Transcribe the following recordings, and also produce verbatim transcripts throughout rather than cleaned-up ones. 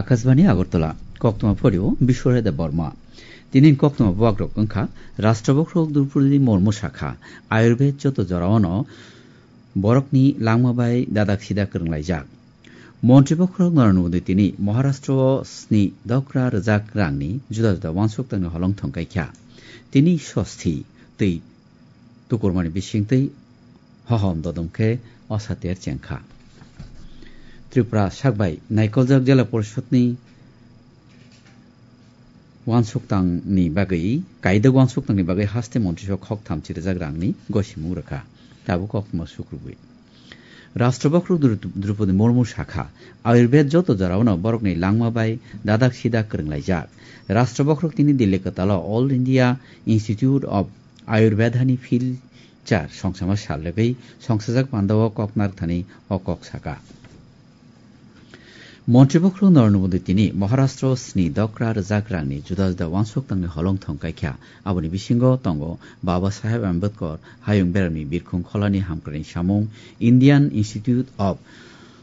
Akashbani Agartala, koktwma phorio Bisware Debbarma. Tini koktwma bubagrok wngkha, Rashtra Bokhorok Droupadi Murmu sakha, Ayurved joto jorao no borokni langma bai dadak sidak kwrwnglaijak. Montri Bokhorok Narendra Modi tini Maharashtra o sni dokra rwjak rangni juda juda uansuk tangni holong thongkaikha. Tini sosti twi tukurmani bisingtwi hohom dodom khe osater chengkha. Tripura sakbai naikoljak Jela Porishod ni uansuk tangni bagwi, kaidok uansuk tangni bagwi haste montri sok khok thamchi rwjak rangni gosimung rwkha. Tabuk koktwma sukrubwi. Rashtra Bokhorok Dru-, Droupadi Murmu sakha, Ayurved joto jorao no borokni langma bai dadak sidak kwrwnglaijak. Rashtra Bokhorok tini Delhi kwtalo All India Institute of Ayurveda ni phil char songsama sal rwgwi songsajak pandao kok narwkthani o kok saka. Montri Bokhorok Narendra Modi tini Maharashtra o sni dokra rwjak rangni juda juda uansuk tangni holong thongkaikha. Aboni bisingo tongo Baba Saheb Ambedkar hayung beramni birkhung kholani hamkrai samung, Indian Institute of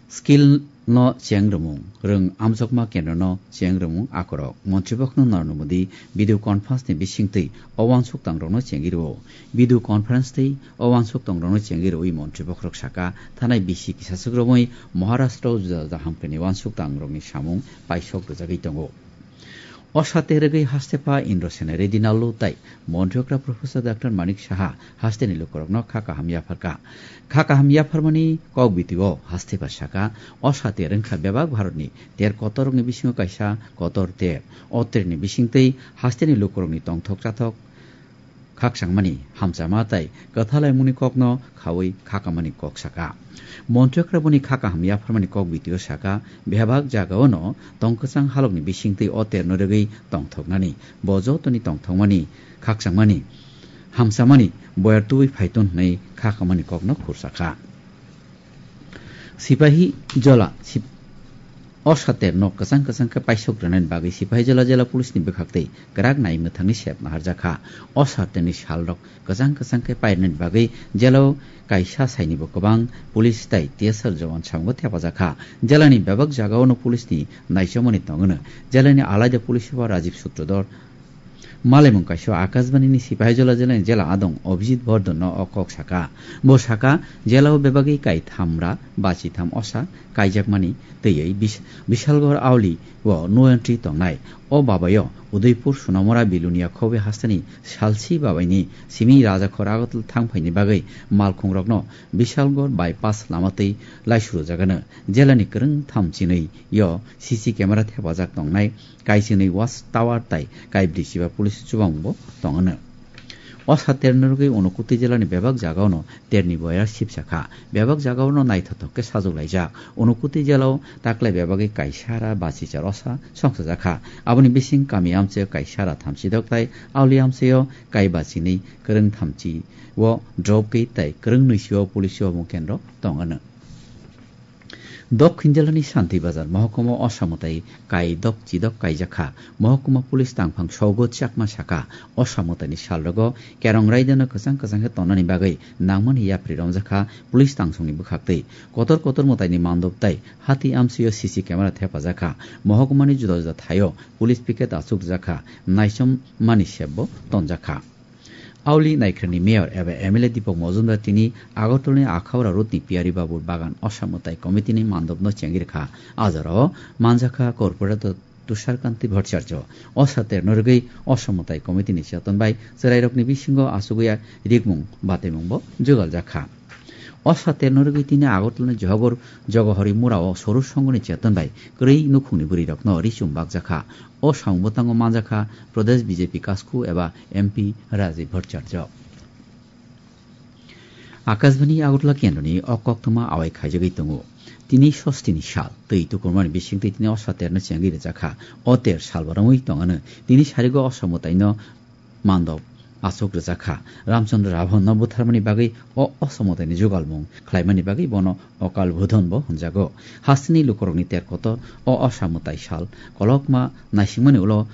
Skill no cheng rwmung, rwng amjokma kendro no cheng rwmung akorok. Montri Bokhorok Narendra Modi video conference ni bisingtwi o uansuk tangrokno chengwi rwo. Video conference tei o uansuk tangrokno chengwi rwwi Montri Bokhorok saka, thanai bisi kisaswk romwi Maharashtra o juda juda hamkrai ni uansuk tangrokni samung paisok rwjagwi tongo. O sate rwgwi hastepha Indrasena Reddy Nallu tei Montri okra Professor Doctor Manik Saha hasteni lukurokno kha kaham yapharkha. Kha kaham yapharmani kok bitio hastepha saka, o sate rwngkha bebak Bharatni ter kotorrokni bisingo kaisa kotor ter. O terni bisingtwi hasteni lukurokni tongthok chathok khakchangmani, hamchama tei kwthalaimungni kokno khaui khakamani kok saka. Montri okra boni kha kaham yapharmani kok bitio saka, bebak jagao no tong kwchang halokni bisingtwi o terno rwgwi tongthoknani, bo jotoni tongthokmani, khakchangmani, hamchamani boyar tubui phaiton hwnwi khakamani kokno khursakha. Sipahi Jola sip-, o sater nok kwchang kwchang khe paisok rwnani bagwi Sipahi Jola jela police ni bwkhaktwi kwrak nai mwthangni sep naharjakha. O saterni salrok kwchang kwchang khe pairwnani bagwi jelao kaisa sainibo kwbang police tei T S R jawan samungo thepajakha. Jelani bebak jagao no police ni naichomani tongwno. Jelani alaida police super Rajiv Sutradhar, Malaimung kaisa Akashbani ni Sipahijola jela ni jela adong Abhijit Bordhan no o kok saka. Bo saka, jela o bebagwi kai thamra bachi tham osa kaijakmani twiwi Bis-, Bishalgarh Auli o no entry tongnai. O babayo Udaipur, Sonamura, Bilonia, Khobe hasteni salsi babaini simi Rajakhor Agartala thang phaini bagwi malkhungrokno Bishalgarh bypass lama twi laisurujagano. Jelani kwrwng tham chinwi yo C C camera thepajak tongnai. Kaichini watch tower tai kaibrwi chiba police chubamungbo tongwno. O saterni rwgwi Unakoti jelani bebak jagao no terni boyar sipsa kha. Bebak jagao no naithothok khe sajwk laijak. Unakoti jelao taklai bebagwi kaisara bachichar osa songsajak kha. Aboni bising kami amchaio kaisara thamchi dok tai auli amchaio kai bachinwi kwrwng thamchi o drop gate tai kwrwng nwi sio police o mungkenrok tongwno. Dokhin jelani Santi Bazar mohokuma o samwtai kai dok chidok kaijak kha. Mohokuma police tangphang Sogo Chakma saka, o samwtaini salrogo kerong raidano kwchang kwchang khe tonani bagwi nangmani yapri romjak kha police tangsongni bwkhaktwi. Kotor kotor mwtaini mandop tai hati amsio C C camera thepajak kha. Mohokumani juda juda thaio police picket achuk rijak kha, naichom mani sepbo tonjak kha. Auli Naikhorni mayor eba M L A Deepak Majumdar tini Agartala ni Akhaura road ni Piyari Babur Bagan Osa Mwtai committee ni mandop no chengwi rwkha. A jora o manjak kha corporator Tushar Kanti Bhattacharya. Osa ter no rwgwi Osa Mwtai committee ni cheton bai chwrai rok ni bisingo achugwi rikmung bataimung bo jugal jak kha. Osa ter no rwgwi tini Agartala ni Johogor Jogohori Mura o Soru Songho ni cheton bai kwrwi nukhung ni bwrwi rok no richum bak jak kha. O samung bwtango manjakha Pradesh B J P kasku eba M P Rajiv Bhattacharya. Akashbani Agartala kendroni o koktwma awai khaijagwi tongo. Tini sostini sal, twi tukurmani bisingtwi tini o saterno chengwi rwjakha. O ter salba romwi tongano. Tini sarigo o samwtaino mandop achuk rwjakha. Ramchandra Ravon no butharmani bagwi o osamwtaini jugalmung khlaimani bagwi bono Okal Budhon bo hwnjago. Hasteni lukurokni ter kotor o osamwtai sal kolokma naisingmani ulo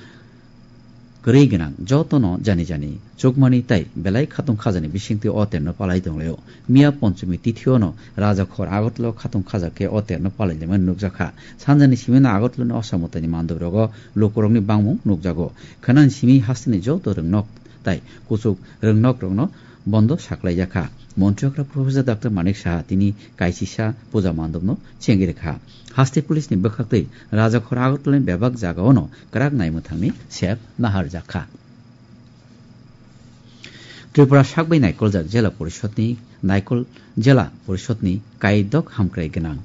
kwrwi gwnang jotono jani jani chukmani tei belai khatung khajani bisingtwi o terno palai tonglaio. Miya Ponchumi tithiono Rajakhor Agartala khatung khaja khe o terno palai lemani nukjakha. Sanjani simino Agartalani Osa Mwtaini mandobrogo lukurokni bangmung nukjago. Khwnani simi hasteni joto rwngnok tei kuchuk rwngnokrokno bondo saklaijakha. Montri okra Professor Doctor Manik Saha tini kaisisa puja mandopno chengirikha. Haste police ni bwkhaktwi Rajakhor Agartala ni bebak jagaono kwrak naimwthangni sep naharjakha. Tripura sakbai naikoljak Jela Porishod ni naikol Jela Porishod ni kaidok hamkrai gwnang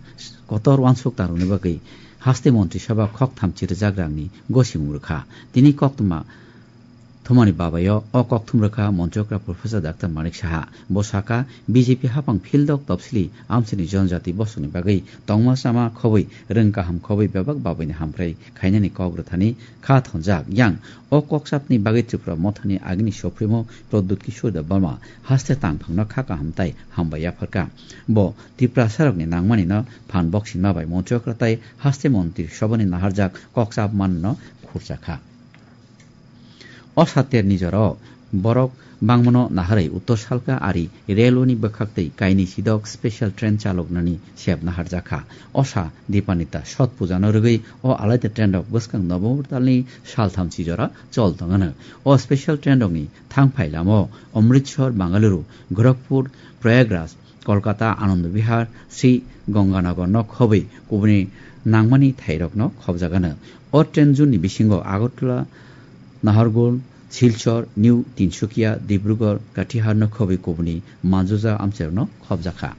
kotor uansuk tangrwni bagwi haste Montri Sabha khok thamchi rwjak rangni gosimung rwkha. Tini koktwma Thumani babayo o kokthum rwkha Montri okra Professor Doctor Manik Saha. Bo saka, B J P hapang phildok topsili amchaini jonjati bosongni bagwi tongma chama khobwi rwng kaham khobwi bebak babaini hamkrai khainani kok rwthani kha thonjak. Yang o kokchapni bagwi Tripura mothani agini sophroimo Pradyut Kishore Debbarma haste tangphangno kha kaham tai hambai yapharkha. Bo Tiprasarokni nangmanino phan boksinma bai Montri okra tai haste Montri Sabhani naharjak kokchap manno khurchakha. O saterni jorao borok bangmano naharwi Uttor Salka ari railway ni bwkhaktwi kainwi sidok special train chaloknani sep naharjakha. O sa Dipanita Sot Pujano rwgwi o alaida train rok bwskang November talni salthamchi jora chol tongano. O special train rokni thangphai lama Amritsar, Bengaluru, Gorakhpur, Prayagraj, Kolkata, Anand Vihar, Sri Ganganagar no khobwi kubuni nangmani thairokno khobjagano. O train juni bisingo Agartala, Nahargul, Silchar, New Tinsukia, Dibrugarh, Katihar no khobwi kubuni manjuja amchairokno khobjakha.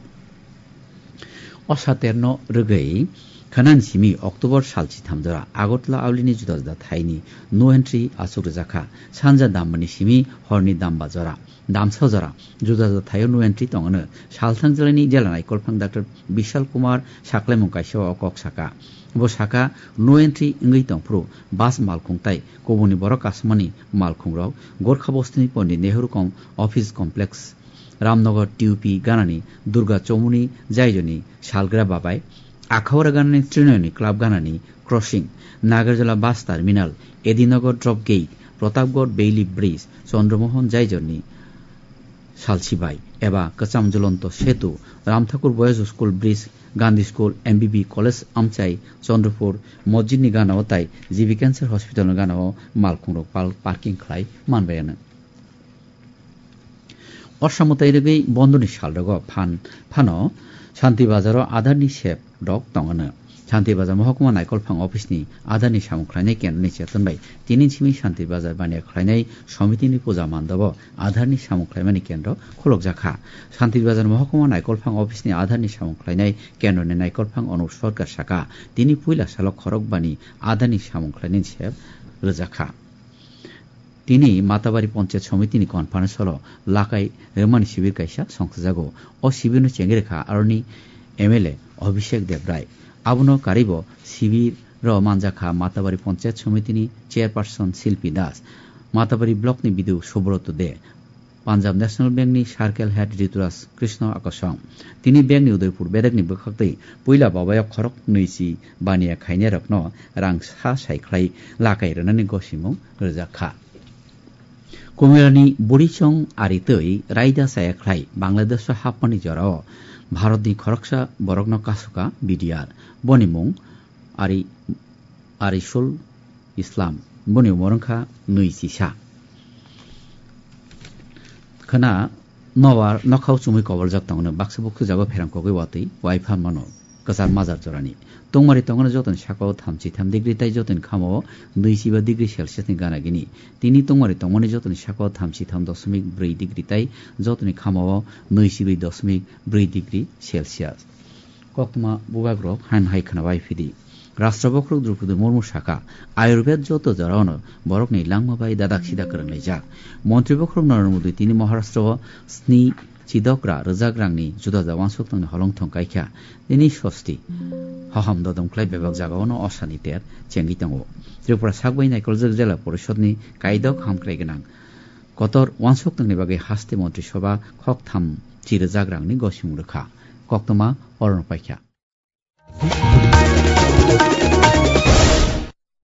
O saterno rwgwi khwnani simi October salchi thamjora Agartala aulini juda juda thaini no entry achuk rwjakha. Sanja dammani simi horni damba jora. Damsa jora juda juda thaio no entry tongano. Salthang jelaini jela naikolphang Doctor Bishal Kumar saklaimung kaisa o kok saka. Bo saka no entry wngwi tongphuru bus malkhung tai kubuni borok kasamani malkhungrok Gorkha bostini Pondit Nehru Com-, Office Complex, Ramnagar T U P ganani Durga Chomuni Jaijoni salgra babai, Akhaura ganani Trinoni Club ganani crossing, Nagarjala bus terminal, Edinagar drop gate, Pratapgarh Bailey Bridge, Chandramohan Jaijorni salsibai eba Kwcham Jolonto Setu, Ramthakur Boys School Bridge, Gandhi School, M B B College amchai Chandrapur, Mosjidni ganao tai G B Cancer Hospitalni ganao malkhungrok pal-, parking khlai manbaiano. Osa mwtai rwgwi bondoni salrogo phan-, phano Shanti Bazaro Aadhaarni sep rok tongano. Shanti Bazar Mohokuma Naikolphang Office ni Aadhaarni samung khlainai kendroni cheton bai tini simi Shanti Bazar baniya khlainai somitini puja mandobo Aadhaarni samung khlaimani kendro khulokjakha. Shanti Bazar Mohokuma Naikolphang Office ni Aadhaarni samung khlainai kendroni Naikolphang Anup Sarkar saka, tini puila salo khorok bani Aadhaarni samung khlainani sep rwjakha. Tini Matabari Panchayat Somitini conference hall o lakai rwmani sibir kaisa songsajago. O sibirno chengwi rwkha aroni M L A Abhishek Debrai. Abono karibo sibiro manjakha Matabari Panchayat Somitini chairperson Silpi Das, Matabari block ni B D O Subroto De, Punjab National Bank ni Circle Head Rituraj Krishna Akosong. Tini bank ni Udaipur bedekni bwkhaktwi puila babayo khorok nwichi baniya khainairokno rang sa sai khlai lakai rwnani gosimung rwjakha. Kumirani burichong ari twi raida chaya khlai Bangladesho hapmani jorao Bharatni khoroksa borokno kasuka B D R. Boni mung Ari, Arisul Islam. Boni umor wngkha nwi chisa. Khwna nobar nokhao chumui koboljak tongno baksa bukhujago pherang kogwi watwi wai phan mano kwchar majar jorani. Tungmari tongmani jotoni sakao thamchi tham degree tai jotoni khamao nwi chiba degree Celsius ni gana gini. Tini tungmari tongmani jotoni sakao thamchi tham dosmik brwi degree tai jotoni khamao nwi chibrwi dosmik brwi degree Celsius. Koktwma bubagrok han hai khwna bai phidi. Rashtra bokhorok Droupadi Murmu saka, Ayurved joto jorao no borokni langma bai dadak sida kwrwnglaijak. Montri bokhorok Narendra Modi tini Maharashtra o sni chidokra rwjak rangni juda juda uansuk tongni holong thong kaikha. Tini sosti hoham dodom khlai bebak jagao no osani ter chengwi tongo. Tripura sakbai naikoljak Jela Porishodni kaidok hamkrai gwnang kotor uansuk tongni bagwi haste Montri Sabha khok tham chi rwjak rangni gosimung rwkha. Koktwma orono paikha.